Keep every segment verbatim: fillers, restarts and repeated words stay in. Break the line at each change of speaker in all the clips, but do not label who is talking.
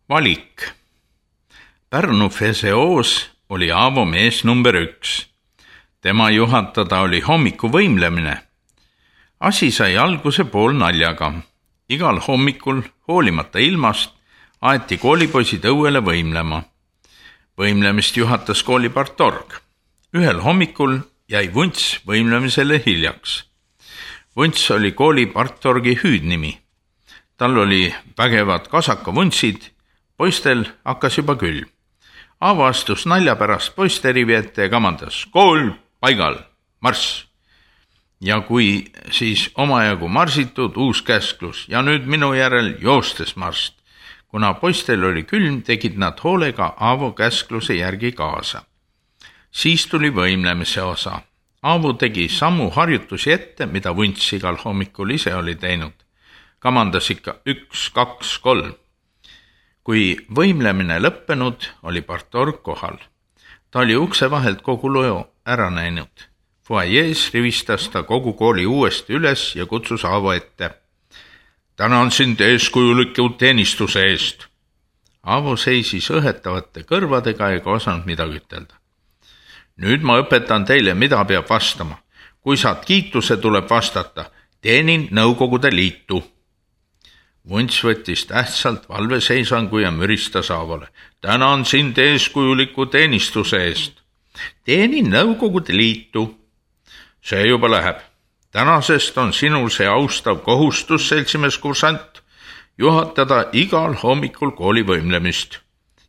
Valik. Pärnu Feseos oli Aavo mees number üks. Tema juhatada oli hommiku võimlemine. Asi sai alguse pool naljaga. Igal hommikul, hoolimata ilmast, aeti koolipoisid õuele võimlema. Võimlemist juhatas kooli partorg. Ühel hommikul jäi Vunts võimlemisele hiljaks. Vunts oli kooli partorgi hüüdnimi. Tal oli vägevad kasakavuntsid, poistel hakkas juba külm. Aavo astus nalja pärast poiste rivi ette ja kamandas: kool paigal, marss! Ja kui siis omajagu marsitud, uus käsklus ja nüüd minu järel joostes marst. Kuna poistel oli külm, tegid nad hoolega Aavo käskluse järgi kaasa. Siis tuli võimlemise osa. Aavo tegi samu harjutusi ette, mida Vunts igal hommikul ise oli teinud. Kamandas ikka üks, kaks, kolm. Kui võimlemine lõppenud, oli partorg kohal. Ta oli ukse vahelt kogu loo ära näinud. Fuajees rivistas ta kogu kooli uuesti üles ja kutsus Aavo ette. Tänan sind eeskujuliku teenistuse eest. Aavo seisis õhetavate kõrvadega ega osanud midagi ütelda. Nüüd ma õpetan teile, mida peab vastama. Kui saad kiituse, tuleb vastata: teenin Nõukogude Liitu. Vunts võttis tähtsalt valveseisangu ja müristas Aavole. Tänan sind eeskujuliku teenistuse eest. Teenin Nõukogude Liitu. See juba läheb. Tänasest on sinul see austav kohustus, seltsimees kursant, juhatada igal hommikul kooli võimlemist.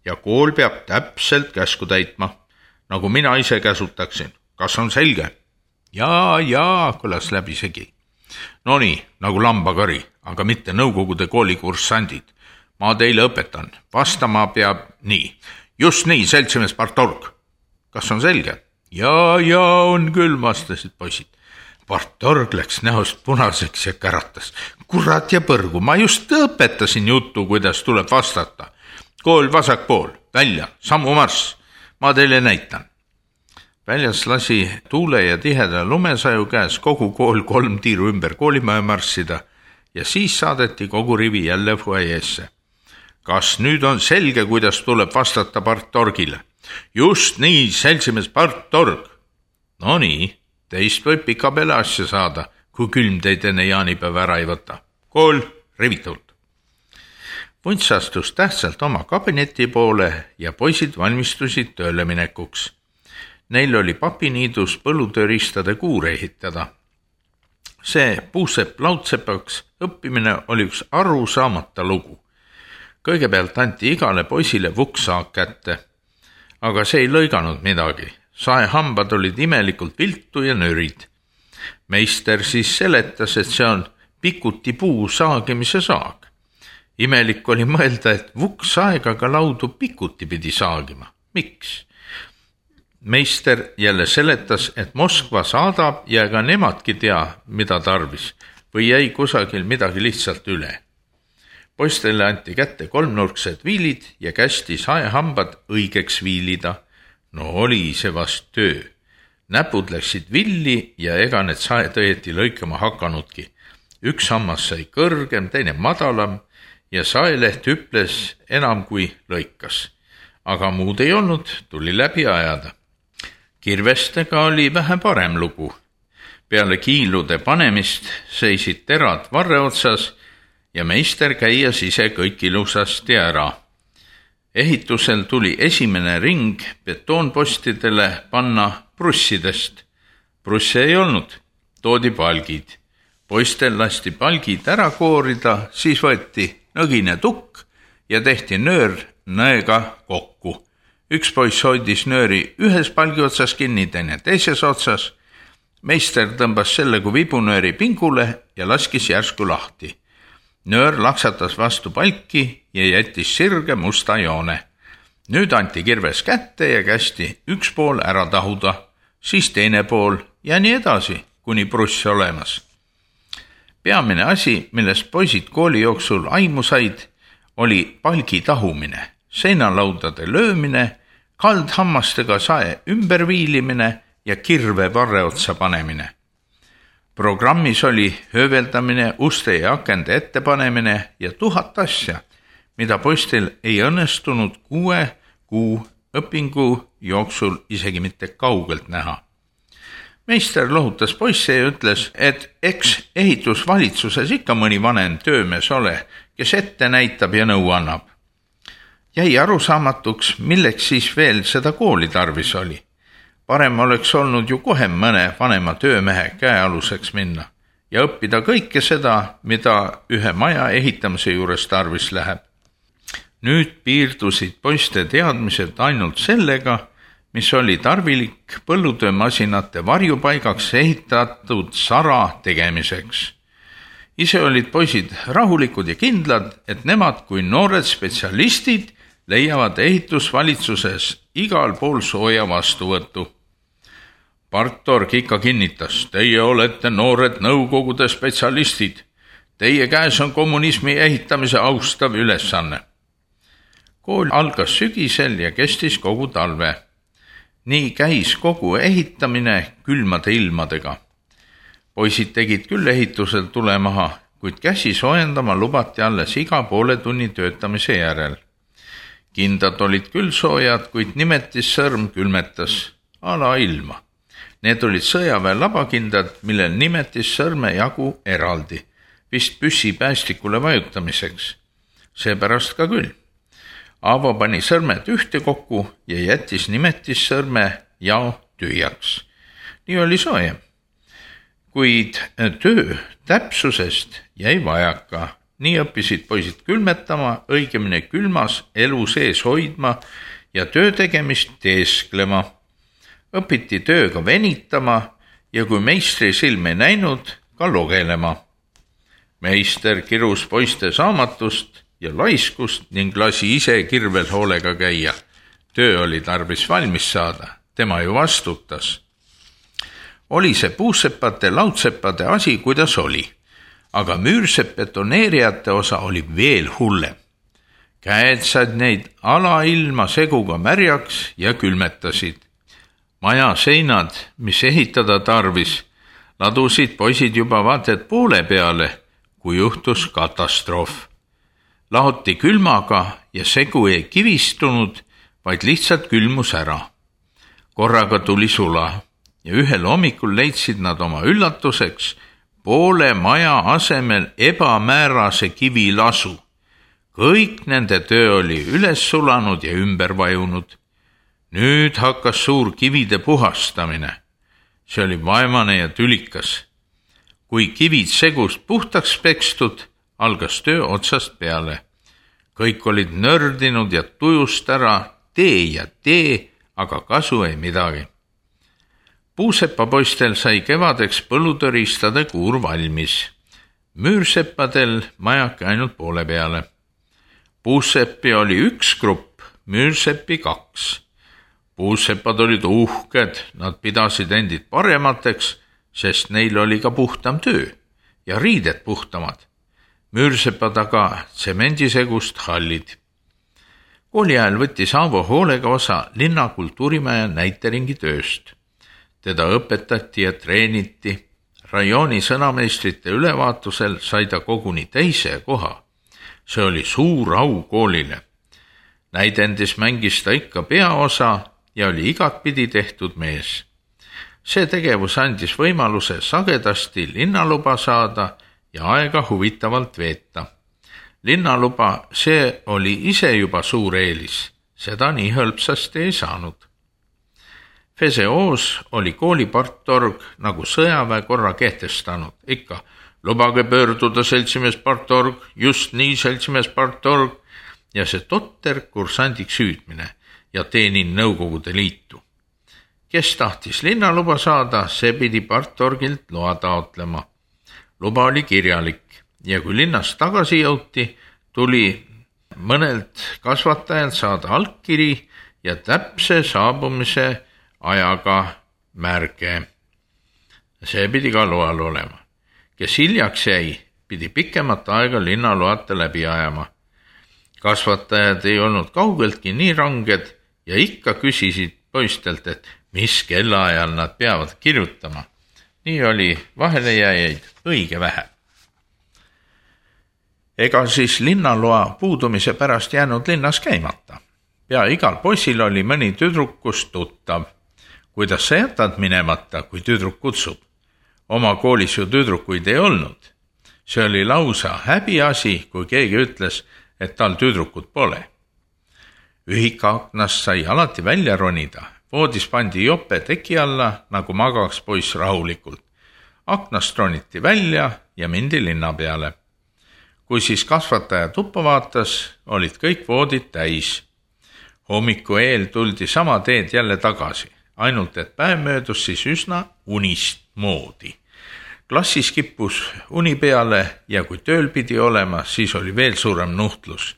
Ja kool peab täpselt käsku täitma, nagu mina ise käsutaksin. Kas on selge? Jaa, jaa, kõlas läbisegi. No nii, nagu lambakari, aga mitte Nõukogude kooli kurssandid. Ma teile õpetan. Vastama peab nii. Just nii, seltsimees partorg. Kas on selge? Jaa, jaa, on küll, vastasid poisid. Partorg läks näost punaseks ja käratas. Kurat ja põrgu, ma just õpetasin juttu, kuidas tuleb vastata. Kool vasak pool, välja, sammu marss. Ma teile näitan. Väljas lasi tuule ja tiheda lumesaju käes kogu kool kolm tiiru ümber koolimaja marssida ja siis saadeti kogu rivi jälle fuajeesse. Kas nüüd on selge, kuidas tuleb vastata partorgile? Just nii, seltsimees partorg. No nii, teist võib pika peale asja saada, kui külm teid enne jaanipäeva ära ei võta. Kool rivitult. Vunts astus tähtsalt oma kabineti poole ja poisid valmistusid tööle minekuks. Neil oli papiniidus põllutööristade kuur ehitada. See puusepp laudsepaks õppimine oli üks arusaamata lugu. Kõigepealt anti igale poisile vukksaak kätte, aga see ei lõiganud midagi. Saehambad olid imelikult viltu ja nörid. Meister siis seletas, et see on pikuti puu saagimise saag. Imelik oli mõelda, et vukksaegaga laudu pikuti pidi saagima. Miks? Meister jälle seletas, et Moskva saadab ja ega nemadki tea, mida tarvis, või jäi kusagil midagi lihtsalt üle. Poistele anti kätte kolmnurksed viilid ja kästi saehambad õigeks viilida. No oli see vast töö. Näpud läksid villi ja ega need saed õieti lõikama hakanudki. Üks hammas sai kõrgem, teine madalam ja saeleht hüples enam kui lõikas. Aga muud ei olnud, tuli läbi ajada. Kirvestega oli vähe parem lugu. Peale kiilude panemist seisid terad varre otsas ja meister käias ise kõik ilusasti ära. Ehitusel tuli esimene ring betoonpostidele panna prussidest. Prusse ei olnud, toodi palgid. Poistel lasti palgid ära koorida, siis võeti nõgine tukk ja tehti nöör nõega kokku. Üks poiss hoidis nööri ühes palgi otsas kinni, teine teises otsas. Meister tõmbas selle kui vibunööri pingule ja laskis järsku lahti. Nöör laksatas vastu palki ja jättis sirge musta joone. Nüüd anti kirves kätte ja kästi üks pool ära tahuda, siis teine pool ja nii edasi, kuni pruss olemas. Peamine asi, millest poisid kooli jooksul aimu said, oli palgi tahumine, seinalaudade löömine, kaldhammastega sae ümberviilimine ja kirve varre otsa panemine. Programmis oli hööveldamine, uste ja akende ettepanemine ja tuhat asja, mida poistel ei õnnestunud kuue kuu õpingu jooksul isegi mitte kaugelt näha. Meister lohutas poisse ja ütles, et eks ehitusvalitsuses ikka mõni vanem töömees ole, kes ette näitab ja nõu annab. Jäi arusaamatuks, milleks siis veel seda kooli tarvis oli. Parem oleks olnud ju kohe mõne vanema töömehe käealuseks minna ja õppida kõike seda, mida ühe maja ehitamise juures tarvis läheb. Nüüd piirdusid poiste teadmised ainult sellega, mis oli tarvilik põllutöömasinate varjupaigaks ehitatud sara tegemiseks. Ise olid poisid rahulikud ja kindlad, et nemad kui noored spetsialistid leiavad ehitusvalitsuses igal pool sooja vastuvõttu. Partorg ikka kinnitas, teie olete noored nõukogude spetsialistid. Teie käes on kommunismi ehitamise austav ülesanne. Kool algas sügisel ja kestis kogu talve. Nii käis kogu ehitamine külmade ilmadega. Poisid tegid küll ehitusel tule maha, kuid käsi soojendama lubati alles iga poole tunni töötamise järel. Kindad olid küll soojad, kuid nimetissõrm külmetas ala ilma. Need olid sõjaväe labakindad, millel nimetissõrme jagu eraldi, vist püssi päästikule vajutamiseks. Seepärast ka küll. Aavo pani sõrmed ühte kokku ja jättis nimetissõrme jao tühjaks. Nii oli soojem. Kuid töö täpsusest jäi vajaka. Nii õppisid poisid külmetama, õigemini külmas elu sees hoidma ja töö tegemist teesklema. Õpiti tööga venitama ja kui meistri silme näinud, ka logelema. Meister kirus poiste saamatust ja laiskust ning lasi ise kirvel hoolega käia. Töö oli tarvis valmis saada, tema ju vastutas. Oli see puuseppate, laudseppade asi, kuidas oli, aga müürsepbetoneerijate osa oli veel hullem. Käed said neid alailma seguga märjaks ja külmetasid. Maja seinad, mis ehitada tarvis, ladusid poisid juba vaated poole peale, kui juhtus katastroof. Lahoti külmaga ja segu ei kivistunud, vaid lihtsalt külmus ära. Korraga tuli sula ja ühel hommikul leidsid nad oma üllatuseks poole maja asemel ebamäärase kivilasu. Kõik nende töö oli üles sulanud ja ümber vajunud. Nüüd hakkas suur kivide puhastamine. See oli vaimane ja tülikas. Kui kivid segust puhtaks pekstud, algas töö otsast peale. Kõik olid nördinud ja tujust ära, tee ja tee, aga kasu ei midagi. Puuseppapoistel sai kevadeks põllutõristade kuur valmis. Müürseppadel majake ainult poole peale. Puuseppi oli üks grupp, müürseppi kaks. Puuseppad olid uhked, nad pidasid endid paremateks, sest neil oli ka puhtam töö ja riided puhtamad. Müürsepad aga tsemendisegust hallid. Kooli ajal võttis Aavo hoolega osa linna kultuurimaja näiteringi tööst. Teda õpetati ja treeniti. Rajooni sõnameistrite ülevaatusel sai ta koguni teise koha. See oli suur au koolile. Näidendis mängis ta ikka peaosa ja oli igatpidi tehtud mees. See tegevus andis võimaluse sagedasti linnaluba saada ja aega huvitavalt veeta. Linnaluba, see oli ise juba suur eelis, seda nii hõlpsasti ei saanud. Feseos oli kooli partorg nagu sõjaväe korra kehtestanud, ikka lubage pöörduda seltsimees partorg, just nii seltsimees partorg ja see totter kursandiks hüüdmine ja teenin Nõukogude Liitu. Kes tahtis linnaluba saada, see pidi partorgilt loa taotlema. Luba oli kirjalik ja kui linnast tagasi jõuti, tuli mõnelt kasvatajalt saada allkiri ja täpse saabumise ajaga märge. See pidi ka loal olema. Kes hiljaks jäi, pidi pikemat aega linnaloata läbi ajama. Kasvatajad ei olnud kaugeltki nii ranged ja ikka küsisid poistelt, et mis kellaajal nad peavad kirjutama. Nii oli vahelejääjaid õige vähe. ega siis linnaloa puudumise pärast jäänud linnas käimata. Pea igal poisil oli mõni tüdrukust tuttav. Kuidas sa jätad minemata, kui tüdruk kutsub? Oma koolis ju tüdrukuid ei olnud. See oli lausa häbiasi, kui keegi ütles, et tal tüdrukut pole. Ühikaaknast sai alati välja ronida. Voodis pandi jope teki alla, nagu magaks poiss rahulikult. Aknast roniti välja ja mindi linna peale. Kui siis kasvataja tuppa vaatas, olid kõik voodid täis. Hommiku eel tuldi sama teed jälle tagasi, ainult et päev möödus siis üsna unist moodi. Klassis kippus uni peale ja kui tööl pidi olema, siis oli veel suurem nuhtlus.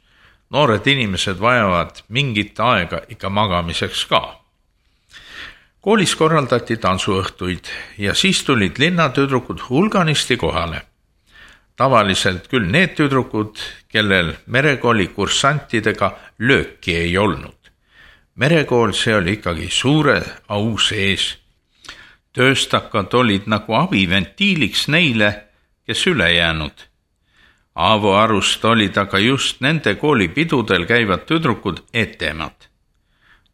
Noored inimesed vajavad mingit aega ikka magamiseks ka. Koolis korraldati tantsuõhtuid ja siis tulid linnatüdrukud hulganisti kohale. Tavaliselt küll need tüdrukud, kellel merekooli kursantidega lööki ei olnud. Merekool see oli ikkagi suure au sees. Tööstakad olid nagu abiventiiliks neile, kes üle jäänud. Aavo arust olid aga just nende koolipidudel käivad tüdrukud etemad.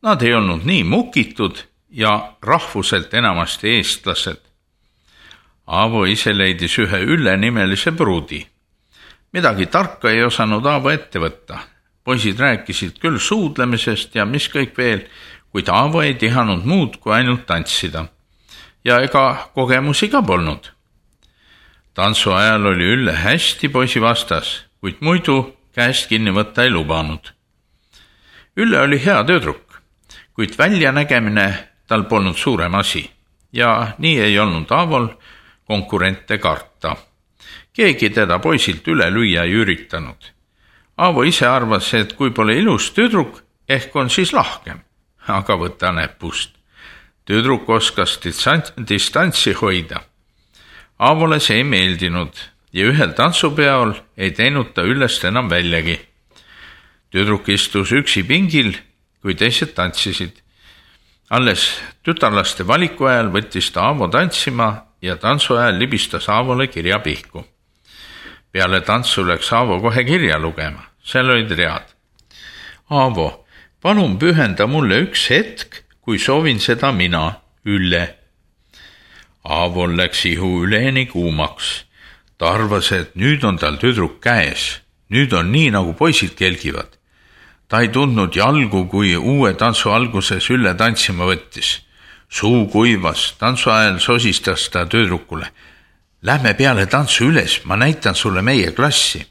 Nad ei olnud nii mukitud ja rahvuselt enamasti eestlased. Aavo ise leidis ühe Ülle nimelise pruudi. Midagi tarka ei osanud Aavo ette võtta. Poisid rääkisid küll suudlemisest ja mis kõik veel, kuid Aavo ei tihanud muud kui ainult tantsida. Ja ega kogemusi ka polnud. Tantsu ajal oli Ülle hästi poisi vastas, kuid muidu käest kinni võtta ei lubanud. Ülle oli hea tüdruk, kuid väljanägemine tal polnud suurem asi ja nii ei olnud Aavol konkurente karta. Keegi teda poisilt üle lüüa ei üritanud. Aavo ise arvas, et kui pole ilus tüdruk, ehk on siis lahkem, aga võta näpust. Tüdruk oskas distantsi hoida. Aavole see ei meeldinud ja ühel tantsupeol ei teinud ta Üllest enam väljagi. Tüdruk istus üksi pingil, kui teised tantsisid. Alles tütarlaste valiku ajal võttis ta Aavo tantsima ja tantsu ajal libistas Aavole kirja pihku. Peale tantsu läks Aavo kohe kirja lugema. Seal olid read. Aavo, palun pühenda mulle üks hetk, kui soovin seda mina, Ülle. Aavol läks ihu üleni kuumaks. Ta arvas, et nüüd on tal tüdruk käes. Nüüd on nii, nagu poisid kelgivad. Ta ei tundnud jalgu, kui uue tantsu alguses Ülle tantsima võttis. Suu kuivas, tantsu ajal sosistas ta tüdrukule. Lähme peale tantsu üles, ma näitan sulle meie klassi.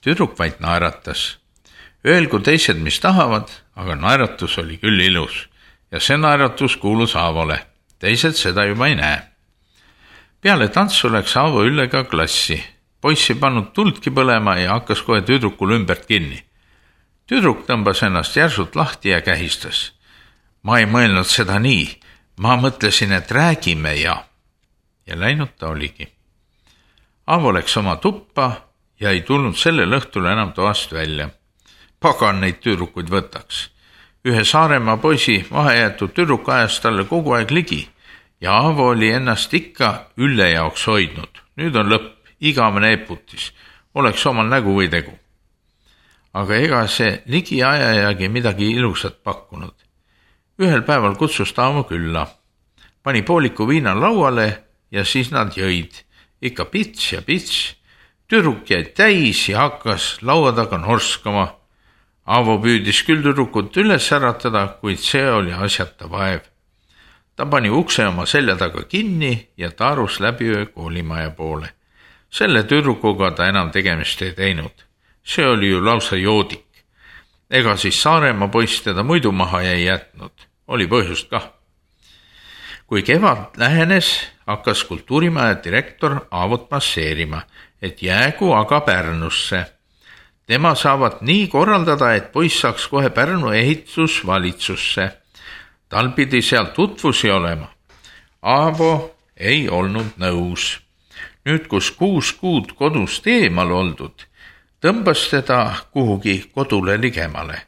Tüdruk vaid naeratas. Öelgu teised, mis tahavad, aga naeratus oli küll ilus ja see naeratus kuulus Aavole. Teised seda juba ei näe. Peale tantsu läks Aavo Üllega klassi. Poiss ei pannud tuldki põlema ja hakkas kohe tüdrukul ümbert kinni. Tüdruk tõmbas ennast järsult lahti ja kähistas. Ma ei mõelnud seda nii. Ma mõtlesin, et räägime ja... Ja läinud ta oligi. Aavo läks oma tuppa ja ei tulnud sellel õhtul enam toast välja. Pagan neid tüdrukuid võtaks. Ühe Saaremaa poisi vahejäetud tüdruk ajas talle kogu aeg ligi ja Aavo oli ennast ikka Ülle jaoks hoidnud. Nüüd on lõpp, igavene eputis, oleks omal nägu või tegu. Aga ega see ligi ajajagi midagi ilusat pakkunud. Ühel päeval kutsus ta Aavo külla. Pani pooliku viina lauale ja siis nad jõid. Ikka pits ja pits. Tüdruk jäi täis ja hakkas laua taga norskama. Aavo püüdis küll tüdrukut üles äratada, kuid see oli asjata vaev. Ta pani ukse oma selja taga kinni ja taarus läbi öö koolimaja poole. Selle tüdrukuga ta enam tegemist ei teinud. See oli ju lausa joodik. Ega siis Saaremaa poiss teda muidu maha ei jätnud. Oli põhjust kah. Kui kevad lähenes, hakkas kultuurimaja direktor Aavot masseerima, et jäägu aga Pärnusse. Tema saavad nii korraldada, et poiss saaks kohe Pärnu ehitusvalitsusse. Tal pidi seal tutvusi olema. Aavo ei olnud nõus. Nüüd, kus kuus kuud kodust eemal oldud, tõmbas teda kuhugi kodule ligemale.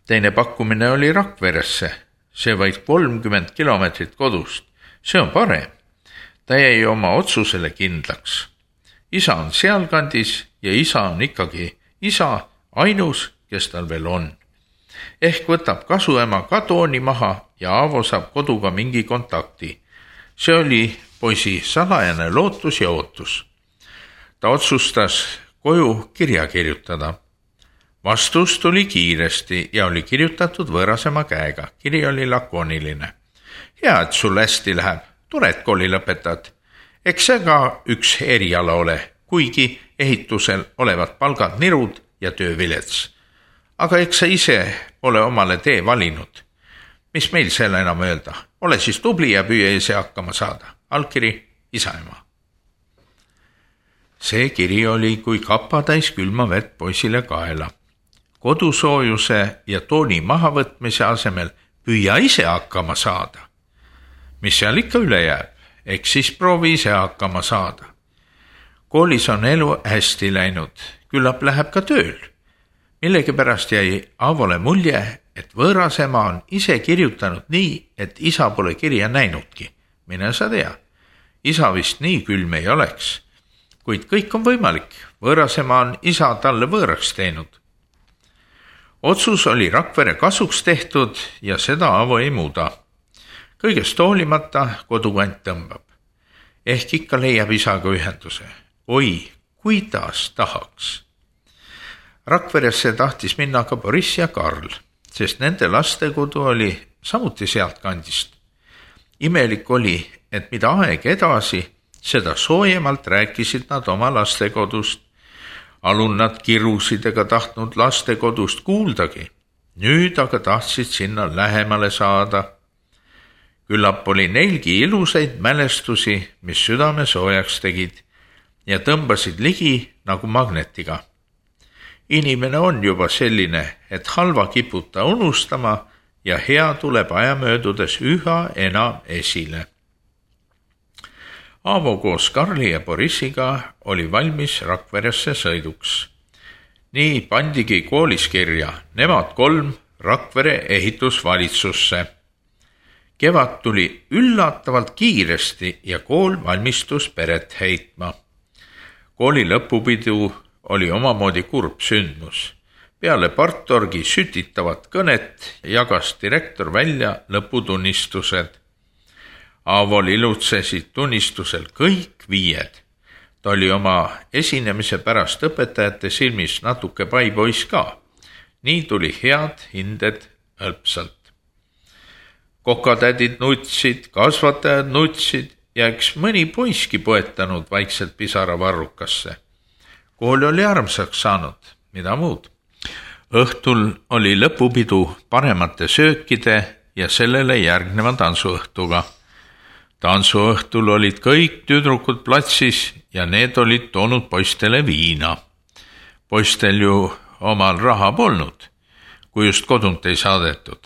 Teine pakkumine oli Rakveresse. See vaid kolmkümmend kilomeetrit kodust. See on parem. Ta jäi oma otsusele kindlaks. Isa on sealkandis ja isa on ikkagi isa, ainus, kes tal veel on. Ehk võtab kasuema ka tooni maha ja Aavo saab koduga mingi kontakti. See oli poisi salajane lootus ja ootus. Ta otsustas koju kirja kirjutada. Vastus tuli kiiresti ja oli kirjutatud võõrasema käega. Kiri oli lakooniline. Hea, et sul hästi läheb. Tore, et kooli lõpetad. Eks see ka üks eriala ole, kuigi ehitusel olevad palgad nirud ja töö vilets. Aga eks sa ise pole omale tee valinud. Mis meil selle enam öelda? Ole siis tubli ja püüa ise hakkama saada. Allkiri isaema. See kiri oli kui kapatäis külma vett poisile kaela. Kodusoojuse ja tooni mahavõtmise asemel püüa ise hakkama saada. Mis seal ikka üle jääb? Eks siis proovi ise hakkama saada. Koolis on elu hästi läinud, küllap läheb ka tööl. Millegipärast jäi Aavole mulje, et võõrasema on ise kirjutanud nii, et isa pole kirja näinudki. Mine sa tea, isa vist nii külm ei oleks, kuid kõik on võimalik. Võõrasema on isa talle võõraks teinud. Otsus oli Rakvere kasuks tehtud ja seda Aavo ei muuda. Kõigest hoolimata kodukant tõmbab. Ehk ikka leiab isaga ühenduse. Oi, kuidas tahaks. Rakveresse tahtis minna ka Boriss ja Karl, sest nende lastekodu oli samuti sealt kandist. Imelik oli, et mida aeg edasi, seda soojemalt rääkisid nad oma lastekodust. Alun nad kirusid ega tahtnud lastekodust kuuldagi. Nüüd aga tahtsid sinna lähemale saada. Küllap oli neilgi ilusaid mälestusi, mis südame soojaks tegid ja tõmbasid ligi nagu magnetiga. Inimene on juba selline, et halva kiputa unustama ja hea tuleb aja möödudes üha enam esile. Aavo koos Karli ja Borissiga oli valmis Rakveresse sõiduks. Nii pandigi koolis kirja, nemad kolm Rakvere ehitusvalitsusse. Kevad tuli üllatavalt kiiresti ja kool valmistus peret heitma. Kooli lõpupidu oli omamoodi kurb sündmus. Peale partorgi sütitavat kõnet jagas direktor välja lõputunnistused. Aavol ilutsesid tunnistusel kõik viied. Ta oli oma esinemise pärast õpetajate silmis natuke paipoiss ka. Nii tuli head hinded hõlpsalt. Kokatädid nutsid, kasvatajad nutsid ja eks mõni poiski poetanud vaikselt pisara varrukasse. Kool oli armsaks saanud, mida muud. Õhtul oli lõpupidu paremate söökide ja sellele järgneva tantsuõhtuga. Tantsuõhtul olid kõik tüdrukud platsis ja need olid toonud poistele viina. Poistel ju omal raha polnud, kui just kodunt ei saadetud.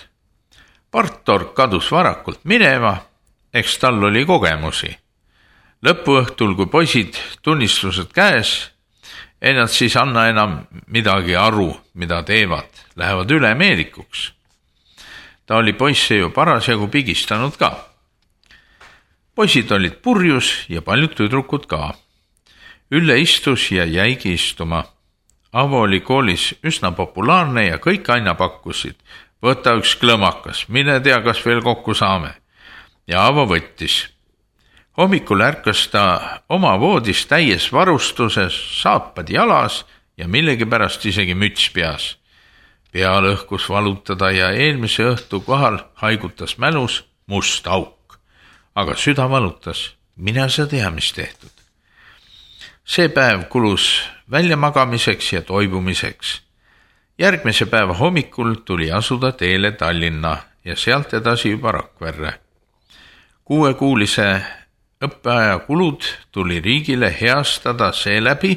Partorg kadus varakult minema, eks tal oli kogemusi. Lõpuõhtul, kui poisid tunnistused käes, ei nad siis anna enam midagi aru, mida teevad, lähevad üle meedikuks. Ta oli poisse ju parasjagu pigistanud ka. Poisid olid purjus ja paljud tüdrukud ka. Ülle istus ja jäigi istuma. Aavo oli koolis üsna populaarne ja kõik aina pakkusid. Võta üks klõmakas, mine tea, kas veel kokku saame. Ja Aavo võttis. Hommikul ärkas ta oma voodis täies varustuses, saapad jalas ja millegipärast isegi müts peas. Pea lõhkus valutada ja eelmise õhtu kohal haigutas mälus must auk. Aga süda valutas, mina sa tea, mis tehtud. See päev kulus väljamagamiseks ja toibumiseks. Järgmise päeva hommikul tuli asuda teele Tallinna ja sealt edasi juba Rakverre. Kuuekuulise õppeaja kulud tuli riigile heastada seeläbi,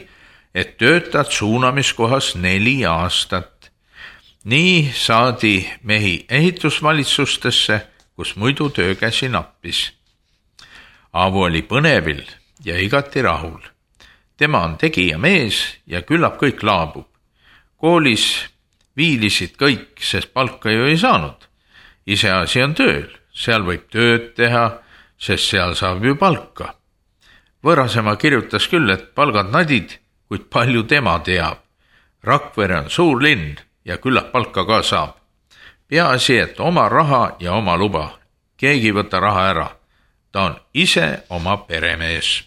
et töötad suunamiskohas neli aastat. Nii saadi mehi ehitusvalitsustesse, kus muidu töökäsi nappis. Aavo oli põnevil ja igati rahul. Tema on tegija mees ja küllap kõik laabub. Koolis viilisid kõik, sest palka ju ei saanud. Iseasi on tööl, seal võib tööd teha, sest seal saab ju palka. Võõrasema kirjutas küll, et palgad nadid kuid palju tema teab. Rakvere on suur linn ja küllap palka ka saab. Peaasi, et oma raha ja oma luba. Keegi võta raha ära. Ta on ise oma peremees.